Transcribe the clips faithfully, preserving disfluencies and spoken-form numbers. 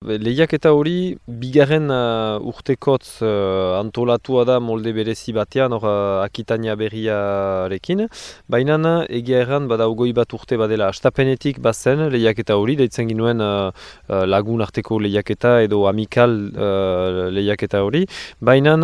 Lehiaketa hori, bigarren uh, urtekotz uh, antolatua da molde berezi batean, hor uh, Akitania berriarekin. Baina egia erran, bada ogoi bat urte badela astapenetik bazen lehiaketa hori, deitzen ginuen uh, uh, lagun arteko lehiaketa edo amikal uh, lehiaketa hori. Baina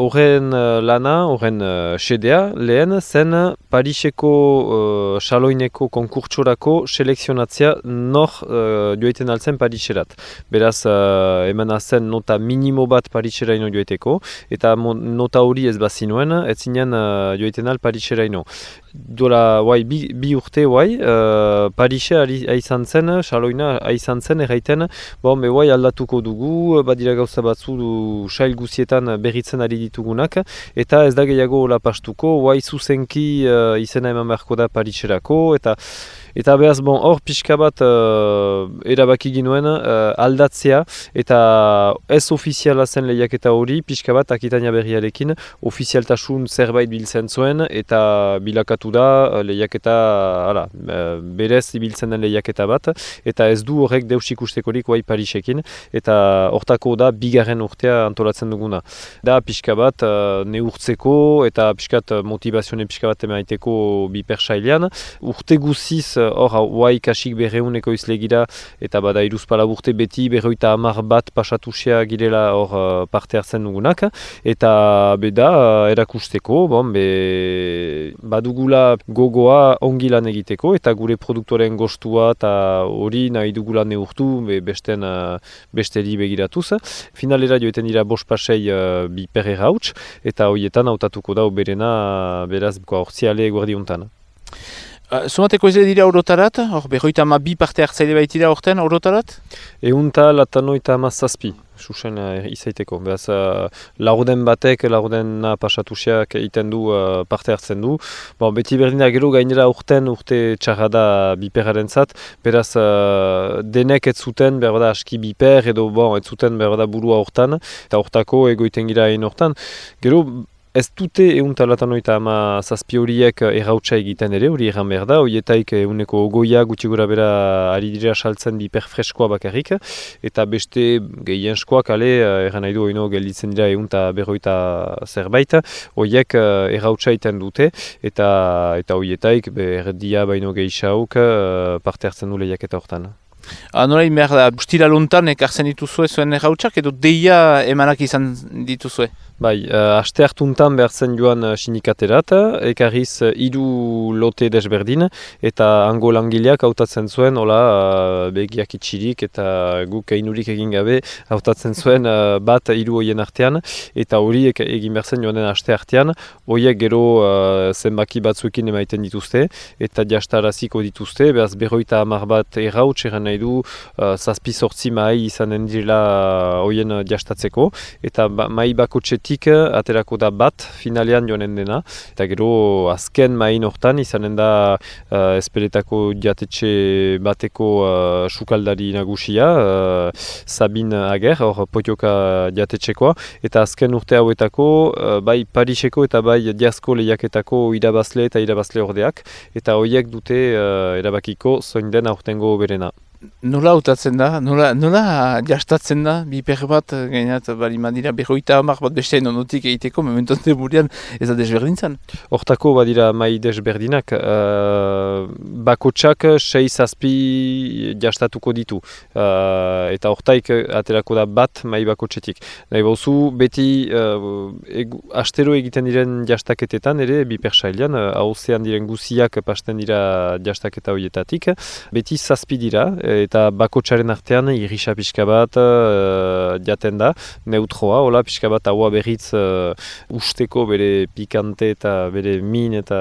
horren uh, lana, horren uh, sedea, lehen zen Pariseko uh, saloineko konkurtsorako selekzionatzea nor uh, joiten altzen Pariserat. Beraz, uh, emana zen nota minimo bat Pariseraino joiteko, eta nota hori ez bazinuen, ez zinen uh, joiten al Pariseraino. Dola, guai, bi, bi urte, guai, uh, Parise aizan zen, saloina aizan zen, erraiten, bon, be, guai, aldatuko dugu, badira gauza batzu du, sail guzietan berritzen ari ditugunak, eta ez da gehiago hola pastuko, guai, zuzenki uh, izena eman beharko da Pariserako, eta Eta behaz, bon, hor pixka bat uh, erabaki ginuen uh, aldatzea eta ez ofiziala zen lehiaketa hori, pixka bat Akitania berriarekin ofizialtasun zerbait biltzen zuen eta bilakatu da lehiaketa, ara, berez ibiltzen den lehiaketa bat, eta ez du horrek deus ikustekorik guai Parisekin, eta hortako da bigarren urtea antolatzen duguna. Da pixka bat uh, neurtzeko eta pixka bat motivazione pixka bat emaiteko bipersailean, urte guziz hor, huai kasik berreuneko izlegira, eta bada iruzpala urte beti berroita hamar bat pasatusia girela hor uh, parte hartzen dugunak, eta beda uh, erakusteko, bon, be, badugula gogoa ongi lan egiteko, eta gure produktoren gostua eta hori nahi dugula neurtu be, besten, uh, besteri begiratuz. Finalera joeten dira bost pasei uh, bi perre rauts, eta horietan hautatuko da oberena beraz hortziale guardiuntan. Uh, Zumateko ez dira orotarat, hor berroita ama bi parte hartzaile baitira horten orotarat? Eunta latanoita ama zazpi, susen uh, izaiteko. Beraz, uh, laurden batek, laurden pasatusiak egiten du, uh, parte hartzen du. Bon, beti berdina gero gainera urten urte txarrada biperaren zat. Beraz, uh, denek ez zuten berda aski biper edo bon, ez zuten berda burua hortan. Eta hortako egoiten gira egin hortan. Gero, ez dute eunta latanoita ama zazpi horiek errautsa egiten ere, hori erran behar da, horietaik euneko ogoia gutxi gora bera ari dira saltzen biper freskoa bakarrik, eta beste gehienskoak ale, erran nahi du oino gelditzen dira eunta berroita zerbait, horiek errautsa egiten dute, eta eta horietaik erdia baino gehiauk parte hartzen du lehiaketa hortan. Ah, nola behar da, bustira lontan ekartzen dituzue zuen errautsak edo deia emanak izan dituzue? Bai, uh, aste hartuntan behartzen joan uh, sindikaterat, ekarriz uh, hiru lote desberdin, eta hango langileak hautatzen zuen, hola, uh, begiak itxirik eta guk einurik egin gabe hautatzen zuen uh, bat hiru hoien artean, eta horiek egin behartzen joanen aste artean, horiek gero uh, zenbaki batzuekin emaiten dituzte, eta jastaraziko dituzte, behaz berroita hamar bat errauts eran nahi du, uh, zazpi sortzi mahi izanen direla horien uh, jastatzeko, eta ba, mahi bakotxetik aterako da bat finalean joanen dena, eta gero azken mahin hortan izanen da uh, esperetako jatetxe bateko uh, sukaldari nagusia, uh, Sabin Ager, hor potioka jatetxekoa, eta azken urte hauetako uh, bai Pariseko eta bai Diazko lehiaketako irabazle eta irabazle ordeak, eta horiek dute uh, erabakiko zoin den aurtengo berena. Nola hautatzen da? Nola, nola jastatzen da? Biper bat, gainat, bali madira, berroita hamar bat beste nonotik egiteko, mementoz demurian ez da desberdintzen? Hortako badira mai desberdinak, uh, bakotsak sei zazpi jastatuko ditu, uh, eta hortaik aterako da bat mai bakotsetik. Nahi bauzu, beti uh, egu, astero egiten diren jastaketetan ere, biper sailean, hauzean uh, diren guziak pasten dira jastaketa horietatik, beti zazpi dira, eta bakotsaren artean irrisa pixka bat uh, jaten da, neutroa, hola pixka bat haua berriz uh, usteko bere pikante eta bere min eta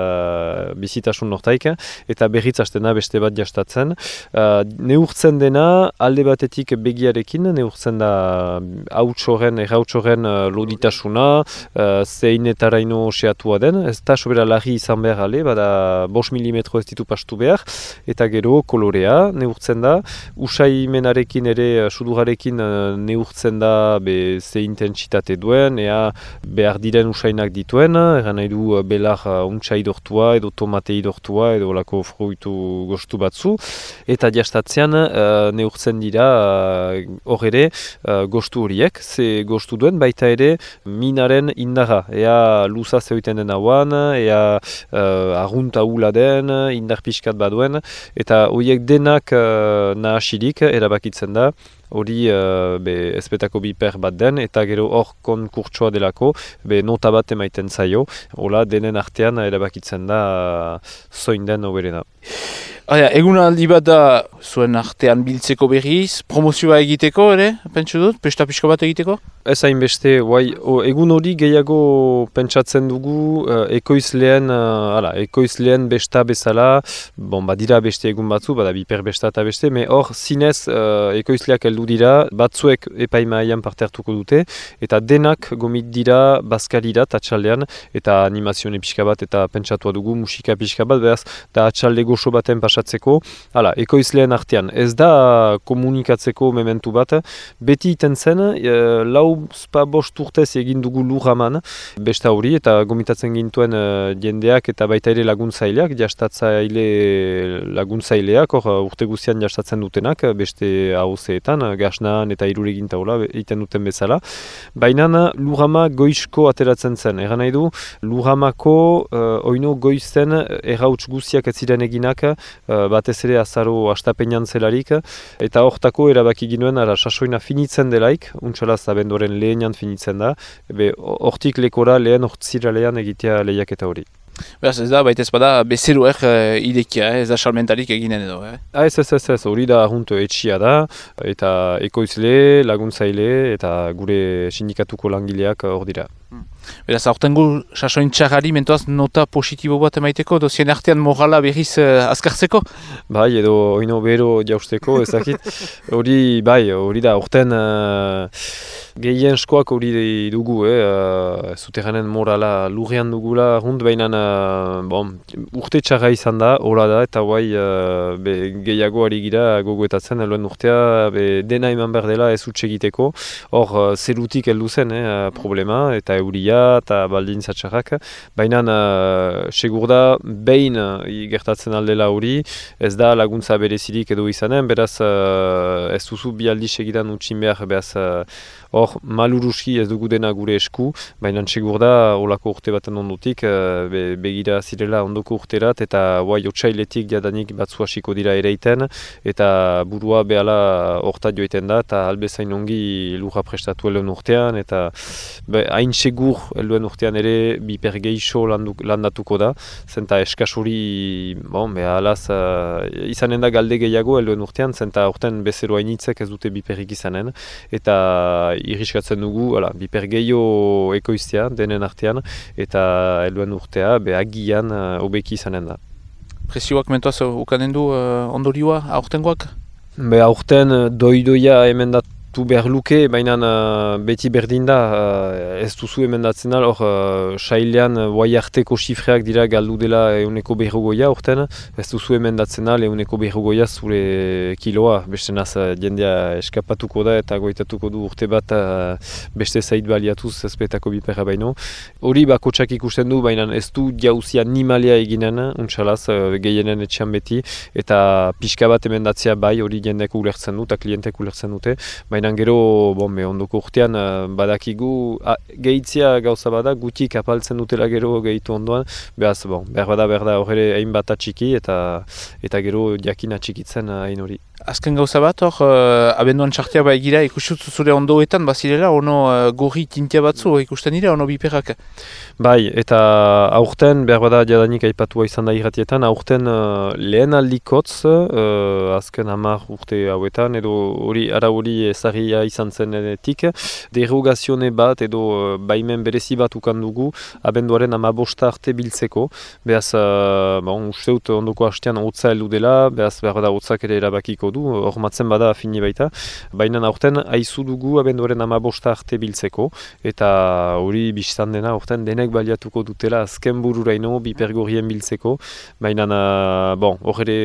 bizitasun nortaik, eta berriz hastena beste bat jastatzen. Uh, neurtzen dena alde batetik begiarekin, neurtzen da hautsoren, errautsoren uh, loditasuna, uh, zein etaraino seatua den, ez da sobera larri izan behar ale, bada bost milimetro ez ditu pastu behar, eta gero kolorea neurtzen da, usaimenarekin ere, sudurrarekin neurtzen da be, ze intentsitate duen, ea behar diren usainak dituen, eran nahi du belar untsa idortua edo tomate idortua edo lako fruitu gostu batzu, eta jastatzean uh, neurtzen dira hor uh, ere uh, gostu horiek, ze gostu duen baita ere minaren indarra, ea luza zeuten den hauan, ea uh, arrunta hula den, indar pixkat baduen, eta horiek denak uh, nahasirik erabakitzen da, hori uh, ezpetako biper bat den, eta gero hor konkurtsoa delako, be nota bat emaiten zaio, hola denen artean erabakitzen da uh, zoin den hoberena. Egun aldi bat da zuen artean biltzeko berriz, promozioa egiteko ere, pentsu dut, pesta pixko bat egiteko? Ez hainbeste, egun hori gehiago pentsatzen dugu uh, ekoizleen, uh, ala, ekoizleen besta bezala, bon, badira beste egun batzu, bada biper besta eta beste, me hor zinez uh, ekoizleak heldu dira, batzuek epaimaian parte hartuko dute, eta denak gomit dira bazkalira atxaldean, eta animazione pixka bat, eta pentsatua dugu musika pixka bat, behaz, da atxalde goxo baten pasatzeko, hala, ekoizleen artean, ez da komunikatzeko mementu bat, beti iten zen, uh, lau spa bost urtez egin dugu lurraman besta hori, eta gomitatzen gintuen uh, jendeak eta baita ere laguntzaileak, jastatzaile laguntzaileak, hor uh, urte guztian jastatzen dutenak, beste hauzeetan, gasnan eta iruregin taula egiten duten bezala. Baina lurrama goizko ateratzen zen, eran nahi du, lurramako uh, oino goizen errauts guztiak ez ziren eginak, uh, batez ere azaro astapenean zelarik, eta hortako erabaki ginuen, ara sasoina finitzen delaik, untxalaz abenduaren lehenan finitzen da, hortik lekora lehen hortziralean egitea lehiaketa hori. Beraz ez da, baita ez bada, bezeroek uh, idekia, eh? Ez da salmentarik eginen edo. Eh? Ah, ez, ez, ez, ez, hori da arrunt etxia da, eta ekoizle, laguntzaile, eta gure sindikatuko langileak hor dira. Hmm. Beraz, aurtengo sasoin txarrari mentoaz nota positibo bat emaiteko, dozien artean morala berriz uh, azkartzeko? Bai, edo oino bero jausteko, ezakit. Hori, bai, hori da, aurten uh, gehien eskoak hori dugu, eh? uh, zuterranen morala lurrean dugula, hund behinan uh, bon, urte txarra izan da, hola da, eta guai uh, be, gehiago ari gira gogoetatzen, eluen urtea, be, dena eman behar dela ez utxegiteko, hor uh, zerutik heldu zen eh, problema, eta euria, eta baldin zatxarrak, baina uh, segur da behin uh, gertatzen aldela hori, ez da laguntza berezirik edo izanen, beraz uh, ez duzu bi aldi segidan utxin behar, beraz hor uh, maluruski ez dugu dena gure esku, baina segur da olako urte baten ondotik, uh, be, begira zirela ondoko urterat, eta guai otsailetik jadanik batzu hasiko dira ereiten, eta burua behala hortat joiten da, eta albezain ongi lurra prestatu eluen urtean, eta be, hain segur helduen urtean ere biper geixo landatuko da, zenta eskas hori, bon, beha alaz, uh, izanen da galde gehiago helduen urtean, zenta urtean bezero hainitzek ez dute biperik izanen, eta irriskatzen dugu, ala, biper gehiago ekoiztea denen artean, eta helduen urtea behagian uh, obeki izanen da. Presioak mentoaz ukanen du uh, ondorioa aurtengoak? Be aurten doidoia emendat tu behar luke, baina uh, beti berdin da, uh, ez duzu emendatzen da, hor uh, sailean guai uh, arteko xifreak dira galdu dela euneko berrogoia urten, ez duzu emendatzen da euneko berrogoia zure kiloa, beste naz uh, jendea eskapatuko da eta goitatuko du urte bat uh, beste zait baliatuz ezpetako biperra baino. Hori bakotsak ikusten du, baina ez du jauzia animalia eginen, untxalaz, uh, gehienen etxean beti, eta pixka bat emendatzea bai, hori jendeak ulertzen du, eta klientek ulertzen dute, baina gero, bon, ondoko urtean uh, badakigu, ah, gehitzia gauza bada, gutik apaltzen dutela gero gehitu ondoan, behaz, bon, behar bada, behar da horre hain bat atxiki, eta, eta gero jakin atxikitzen hain hori. Azken gauza bat, hor, uh, abenduan txartia ba egira, ikustut zure ondoetan, bazirela, ono uh, gorri tintia batzu ikusten dira, ono biperrak? Bai, eta aurten, behar bada jadanik aipatua izan da irratietan, aurten uh, lehen aldikotz, uh, azken hamar urte hauetan, edo hori, ara hori ezarria izan zenetik, derogazione bat, edo uh, baimen berezi bat ukan dugu, abenduaren hamabosta arte biltzeko, behaz, uh, bon, usteut ondoko hastean hotza heldu dela, behaz behar bada hotzak ere erabakiko du, hormatzen bada fini baita. Baina aurten haizu dugu abenduaren amabosta arte biltzeko, eta hori biztan dena aurten denek baliatuko dutela azken bururaino bipergorien biltzeko. Baina, bon, hor ere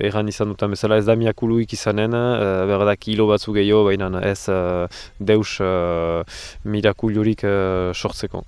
erran izan dutan bezala ez da miakuluik izanen, uh, berda kilo batzu gehiago, baina ez uh, deus uh, mirakulurik uh, sortzeko.